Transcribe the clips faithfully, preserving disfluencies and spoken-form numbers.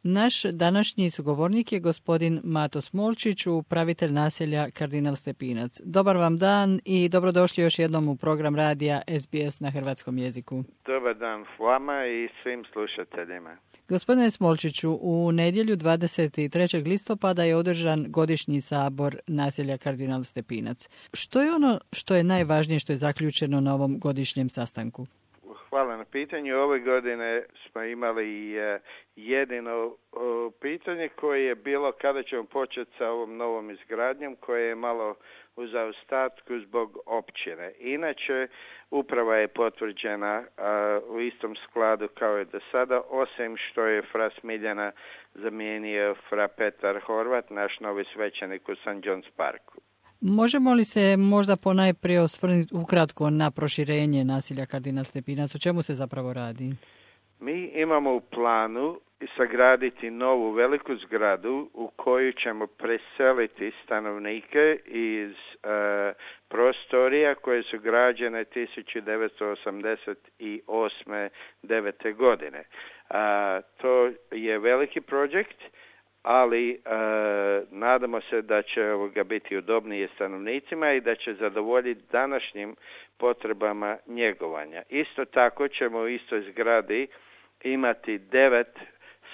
Naš današnji sugovornik je gospodin Mato Smolčić, upravitelj naselja Kardinal Stepinac. Dobar vam dan i dobrodošli još jednom u program radija S B S na hrvatskom jeziku. Dobar dan vama i svim slušateljima. Gospodine Smolčiću, u nedjelju dvadeset trećeg listopada je održan godišnji sabor naselja Kardinal Stepinac. Što je ono što je najvažnije što je zaključeno na ovom godišnjem sastanku? Hvala na pitanju. Ove godine smo imali uh, jedino uh, pitanje koje je bilo kada ćemo početi sa ovom novom izgradnjom, koje je malo u zaostatku zbog općine. Inače, uprava je potvrđena uh, u istom skladu kao i do sada, osim što je fra Smiljana zamijenio fra Petar Horvat, naš novi svećenik u Saint John's Parku. Možemo li se možda ponajprije osvrnuti ukratko na proširenje naselja Kardinal Stepinac? O čemu se zapravo radi? Mi imamo u planu sagraditi novu veliku zgradu u koju ćemo preseliti stanovnike iz uh, prostorija koje su građene tisuću devetsto osamdeset osme devete godine. Uh, to je veliki projekt, ali e, nadamo se da će ovoga biti udobnije stanovnicima i da će zadovoljiti današnjim potrebama njegovanja. Isto tako ćemo u istoj zgradi imati devet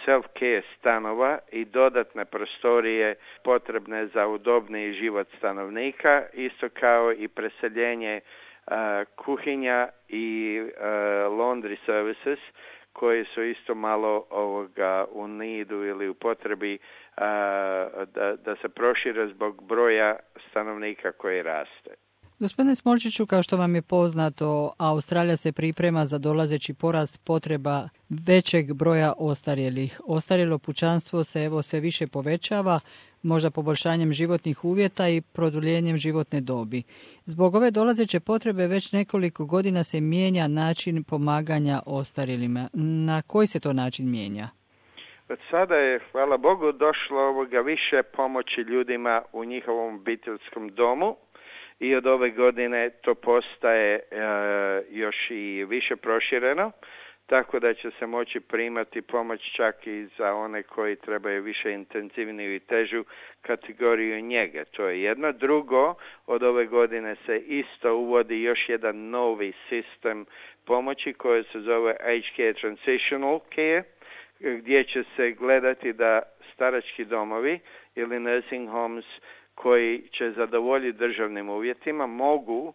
self-care stanova i dodatne prostorije potrebne za udobniji život stanovnika, isto kao i preseljenje e, kuhinja i e, laundry services, koji su isto malo ovoga u nidu ili u potrebi a, da, da se prošire zbog broja stanovnika koji raste. Gospodine Smolčiću, kao što vam je poznato, Australija se priprema za dolazeći porast potreba većeg broja ostarjelih. Ostarjelo pučanstvo se evo sve više povećava, možda poboljšanjem životnih uvjeta i produljenjem životne dobi. Zbog ove dolazeće potrebe već nekoliko godina se mijenja način pomaganja ostarjelima. Na koji se to način mijenja? Od sada je, hvala Bogu, došlo ovoga više pomoći ljudima u njihovom obiteljskom domu. I od ove godine to postaje e, još i više prošireno, tako da će se moći primati pomoć čak i za one koji trebaju više intenzivniju i težu kategoriju njege. To je jedno. Drugo, od ove godine se isto uvodi još jedan novi sistem pomoći koji se zove Aged Care Transitional Care, gdje će se gledati da starački domovi ili nursing homes koji će zadovoljiti državnim uvjetima mogu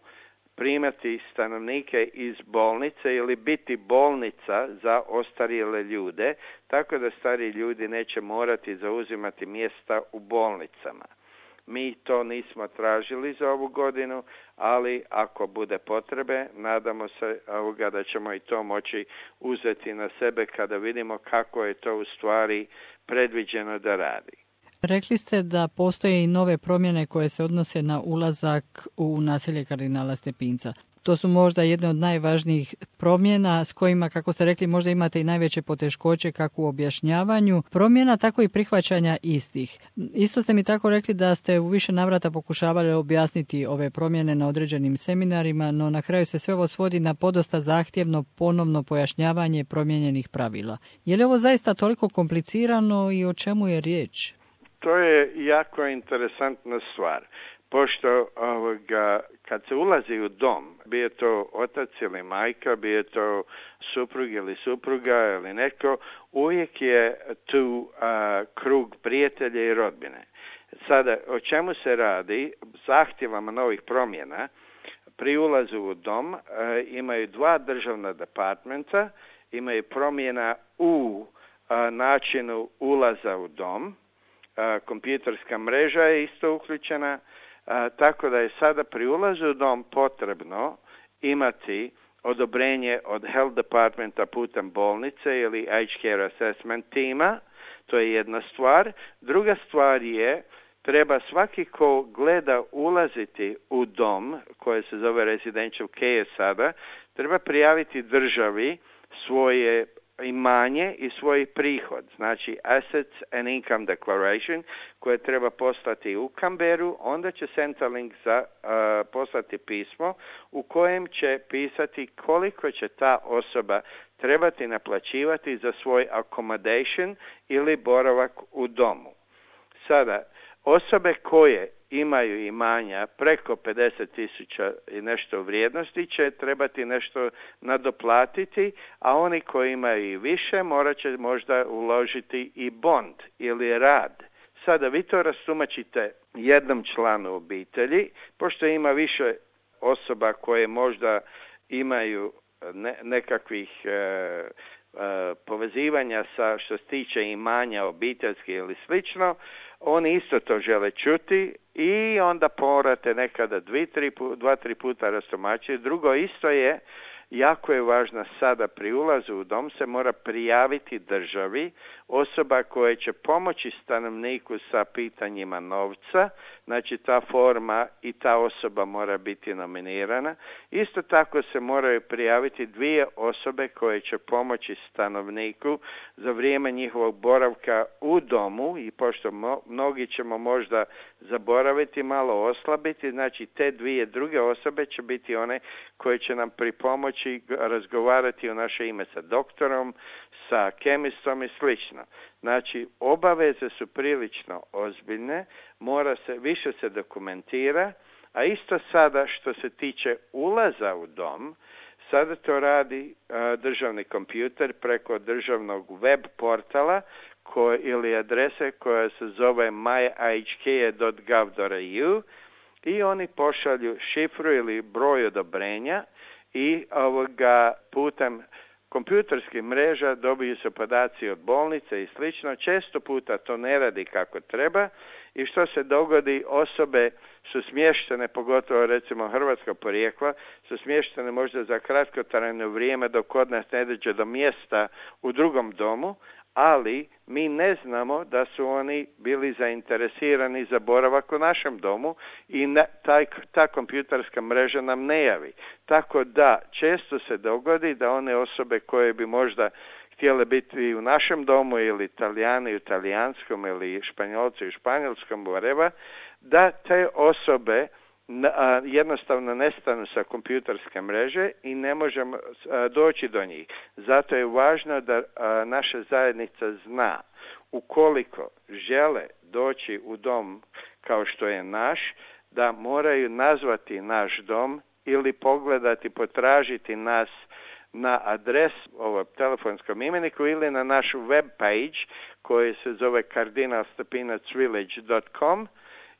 primati stanovnike iz bolnice ili biti bolnica za ostarjele ljude, tako da stari ljudi neće morati zauzimati mjesta u bolnicama. Mi to nismo tražili za ovu godinu, ali ako bude potrebe, nadamo se ovoga da ćemo i to moći uzeti na sebe kada vidimo kako je to u stvari predviđeno da radi. Rekli ste da postoje i nove promjene koje se odnose na ulazak u naselje Kardinala Stepinca. To su možda jedne od najvažnijih promjena s kojima, kako ste rekli, možda imate i najveće poteškoće kako u objašnjavanju promjena, tako i prihvaćanja istih. Isto ste mi tako rekli da ste u više navrata pokušavali objasniti ove promjene na određenim seminarima, no na kraju se sve ovo svodi na podosta zahtjevno ponovno pojašnjavanje promijenjenih pravila. Je li ovo zaista toliko komplicirano i o čemu je riječ? To je jako interesantna stvar, pošto ovoga, kad se ulazi u dom, bio to otac ili majka, bio to suprug ili supruga ili neko, uvijek je tu a, krug prijatelja i rodbine. Sada, o čemu se radi? Zahtjevama novih promjena pri ulazu u dom a, imaju dva državna departmenta, imaju promjena u a, načinu ulaza u dom. A, kompjuterska mreža je isto uključena, a, tako da je sada pri ulazu u dom potrebno imati odobrenje od Health Departmenta putem bolnice ili Aged Care Assessment tima. To je jedna stvar. Druga stvar je, treba svaki ko gleda ulaziti u dom, koje se zove residential care sada, treba prijaviti državi svoje imanje i svoj prihod, znači Assets and Income Declaration, koje treba poslati u Canberru, onda će Centrelink za, uh, poslati pismo u kojem će pisati koliko će ta osoba trebati naplaćivati za svoj accommodation ili boravak u domu. Sada, osobe koje imaju imanja preko pedeset tisuća i nešto vrijednosti će trebati nešto nadoplatiti, a oni koji imaju i više morat će možda uložiti i bond ili rad. Sada vi to rastumačite jednom članu obitelji, pošto ima više osoba koje možda imaju ne, nekakvih e, e, povezivanja sa što se tiče imanja obiteljski ili slično, oni isto to žele čuti i onda morate nekada dvi, tri, dva, tri puta rastumačiti. Drugo isto je, jako je važno sada pri ulazu u dom se mora prijaviti državi osoba koja će pomoći stanovniku sa pitanjima novca, znači ta forma i ta osoba mora biti nominirana. Isto tako se moraju prijaviti dvije osobe koje će pomoći stanovniku za vrijeme njihovog boravka u domu i pošto mo, mnogi ćemo možda zaboraviti, malo oslabiti, znači te dvije druge osobe će biti one koje će nam pripomoći razgovarati u naše ime sa doktorom, sa kemistom i slično. Znači, obaveze su prilično ozbiljne, mora se, više se dokumentira, a isto sada što se tiče ulaza u dom, sada to radi uh, državni kompjuter preko državnog web portala koje, ili adrese koja se zove my i h k dot gov dot a u i oni pošalju šifru ili broj odobrenja i ovoga putem kompjuterskih mreža dobiju se podaci od bolnice i slično. Često puta to ne radi kako treba i što se dogodi, osobe su smještene, pogotovo recimo hrvatskog porijekla, su smještene možda za kratkotrajno vrijeme dok kod nas ne dođe do mjesta u drugom domu, ali mi ne znamo da su oni bili zainteresirani za boravak u našem domu i na, taj, ta kompjuterska mreža nam ne javi. Tako da često se dogodi da one osobe koje bi možda htjele biti u našem domu ili Italijani u talijanskom ili Španjolci u španjolskom, whatever, da te osobe a, jednostavno nestanu sa kompjuterske mreže i ne možemo a, doći do njih. Zato je važno da a, naša zajednica zna ukoliko žele doći u dom kao što je naš, da moraju nazvati naš dom ili pogledati, potražiti nas na adres ovom telefonskom imeniku ili na našu web page koji se zove kardinal stepinac village dot com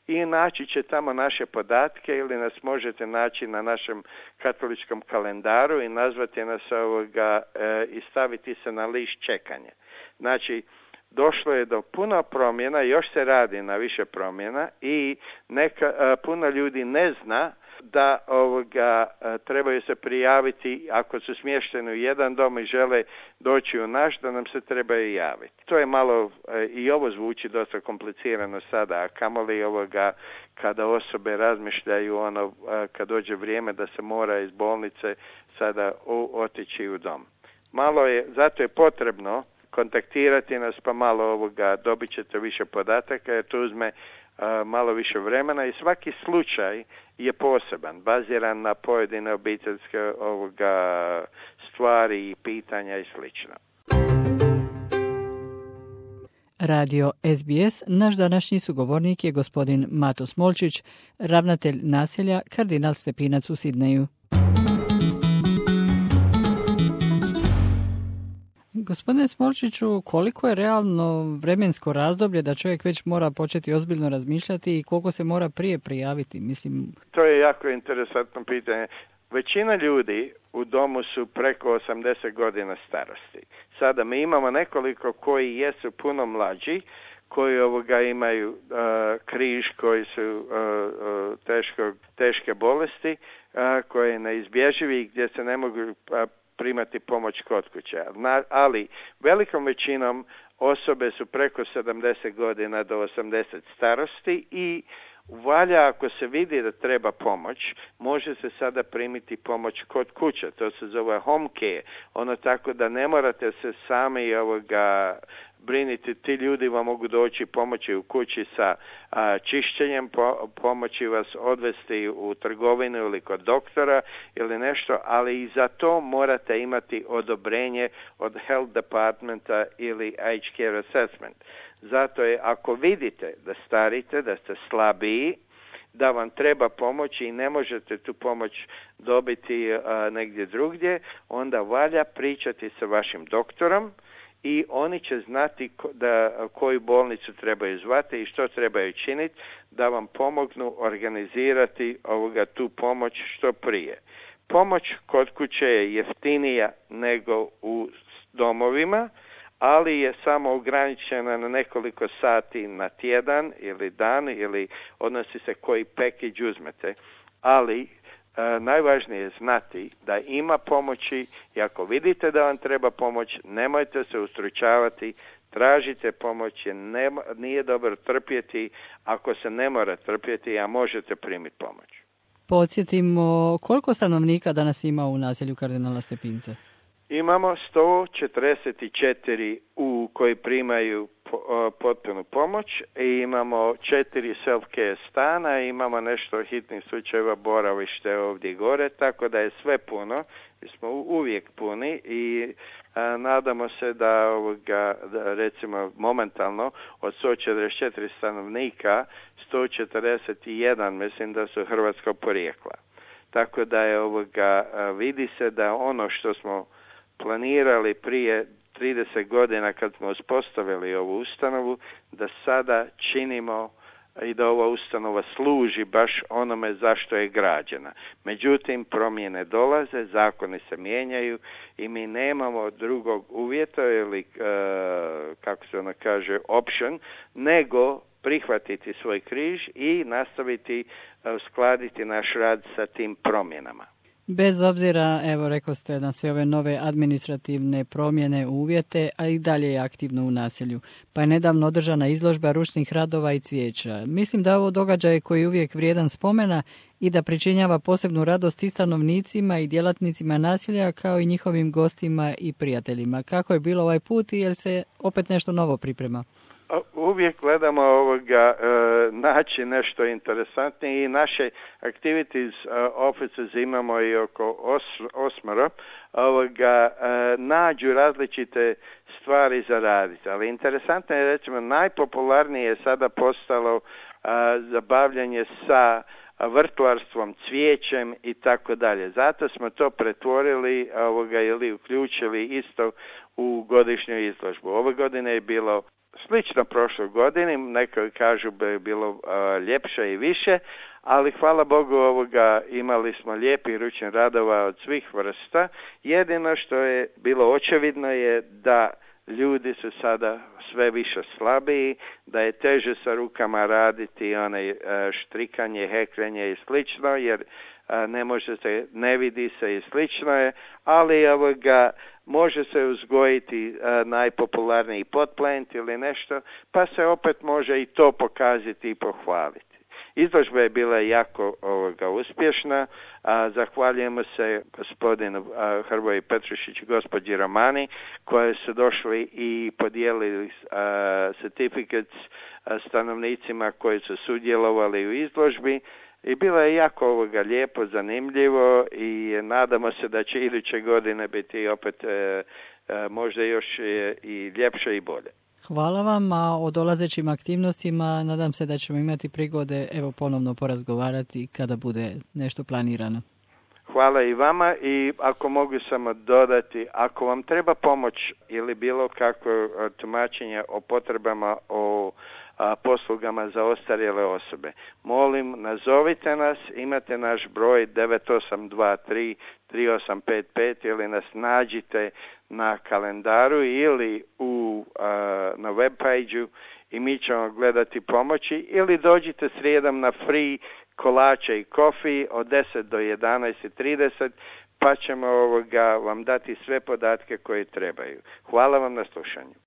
i naći će tamo naše podatke ili nas možete naći na našem katoličkom kalendaru i nazvati nas ovoga e, i staviti se na list čekanja. Znači, došlo je do puno promjena, još se radi na više promjena i neka, a, puno ljudi ne zna da ovoga a, trebaju se prijaviti ako su smješteni u jedan dom i žele doći u naš, da nam se trebaju javiti. To je malo, a, i ovo zvuči dosta komplicirano sada, a kamoli ovoga kada osobe razmišljaju ono, a, kad dođe vrijeme da se mora iz bolnice sada o, otići u dom. Malo je, zato je potrebno kontaktirati nas pa malo ovoga dobit ćete više podataka jer to uzme a, malo više vremena i svaki slučaj je poseban, baziran na pojedine obiteljske ovoga stvari i pitanja i slično. Radio S B S, naš današnji sugovornik je gospodin Mato Smolčić, ravnatelj naselja Kardinal Stepinac u Sidneju. Gospodine Smolčiću, koliko je realno vremensko razdoblje da čovjek već mora početi ozbiljno razmišljati i koliko se mora prije prijaviti? Mislim... To je jako interesantno pitanje. Većina ljudi u domu su preko osamdeset godina starosti. Sada mi imamo nekoliko koji jesu puno mlađi, koji ovoga imaju uh, križ, koji su uh, uh, teško, teške bolesti, uh, koje je neizbježivi gdje se ne mogu uh, primati pomoć kod kuće. Ali velikom većinom osobe su preko sedamdeset godina do osamdeset starosti i valja, ako se vidi da treba pomoć, može se sada primiti pomoć kod kuće. To se zove home care. Ono tako da ne morate se sami ovoga briniti. Ti ljudi vam mogu doći pomoći u kući sa a, čišćenjem, po, pomoći vas odvesti u trgovinu ili kod doktora ili nešto, ali i za to morate imati odobrenje od health departmenta ili aged care assessment. Zato je, ako vidite da starite, da ste slabiji, da vam treba pomoći i ne možete tu pomoć dobiti a, negdje drugdje, onda valja pričati sa vašim doktorom i oni će znati ko, da, koju bolnicu trebaju zvati i što trebaju činiti da vam pomognu organizirati ovoga tu pomoć što prije. Pomoć kod kuće je jeftinija nego u domovima, ali je samo ograničena na nekoliko sati na tjedan ili dan, ili odnosi se koji package uzmete. Ali e, najvažnije je znati da ima pomoći i ako vidite da vam treba pomoć, nemojte se ustručavati, tražite pomoć, jer nema, nije dobro trpjeti ako se ne mora trpjeti, a možete primiti pomoć. Podsjetimo, koliko stanovnika danas ima u naselju kardinala Stepinca? Imamo sto četrdeset četiri u koji primaju potpunu pomoć i imamo četiri self-care stana, imamo nešto hitnih slučajeva boravište ovdje gore, tako da je sve puno, mi smo uvijek puni i a, nadamo se da, ovoga, da recimo momentalno od sto četrdeset četiri stanovnika sto četrdeset jedan mislim da su hrvatskog porijekla. Tako da je ovoga, vidi se da ono što smo planirali prije trideset godina kad smo uspostavili ovu ustanovu, da sada činimo i da ova ustanova služi baš onome zašto je građena. Međutim, promjene dolaze, zakoni se mijenjaju i mi nemamo drugog uvjeta ili, uh, kako se ono kaže, option, nego prihvatiti svoj križ i nastaviti uh, uskladiti naš rad sa tim promjenama. Bez obzira, evo rekao ste, na sve ove nove administrativne promjene uvjete, a i dalje je aktivno u naselju. Pa je nedavno održana izložba ručnih radova i cvijeća. Mislim da ovo događaj koji je uvijek vrijedan spomena i da pričinjava posebnu radost i stanovnicima i djelatnicima naselja kao i njihovim gostima i prijateljima. Kako je bilo ovaj put i jel se opet nešto novo priprema? Uvijek gledamo ovoga e, naći nešto interesantnije i naše activities uh, offices imamo i oko os, osmero ovoga e, nađu različite stvari za raditi. Ali interesantno je, recimo, najpopularnije je sada postalo a, zabavljanje sa vrtlarstvom, cvijećem i tako dalje. Zato smo to pretvorili ovoga ili uključili isto u godišnju izložbu. Ove godine je bilo slično prošloj godini, neko kažu da je bilo uh, ljepše i više, ali hvala Bogu ovoga imali smo lijepih ručnih radova od svih vrsta. Jedino što je bilo očevidno je da ljudi su sada sve više slabiji, da je teže sa rukama raditi onaj uh, štrikanje, heklenje i slično, jer uh, ne može se, ne vidi se i slično je, ali ovoga može se uzgojiti uh, najpopularniji potplant ili nešto, pa se opet može i to pokazati i pohvaliti. Izložba je bila jako ovoga uspješna, a zahvaljujemo se gospodinu a, Hrvoju Petrušiću i gospođi Romani koji su došli i podijelili a, certificates a, stanovnicima koji su sudjelovali u izložbi. I bilo je jako ovoga lijepo, zanimljivo i nadamo se da će iduće godine biti opet e, e, možda još e, i ljepše i bolje. Hvala vam, a o dolazećim aktivnostima nadam se da ćemo imati prigode evo ponovno porazgovarati kada bude nešto planirano. Hvala i vama i ako mogu samo dodati, ako vam treba pomoć ili bilo kakvo tumačenje o potrebama o a, poslugama za ostarjele osobe, molim nazovite nas, imate naš broj devet osam dva tri tri osam pet pet ili nas nađite na kalendaru ili u, a, na web page-u i mi ćemo gledati pomoći ili dođite srijedom na free kolače i kofi od deset do jedanaest i trideset pa ćemo ovoga vam dati sve podatke koje trebaju. Hvala vam na slušanju.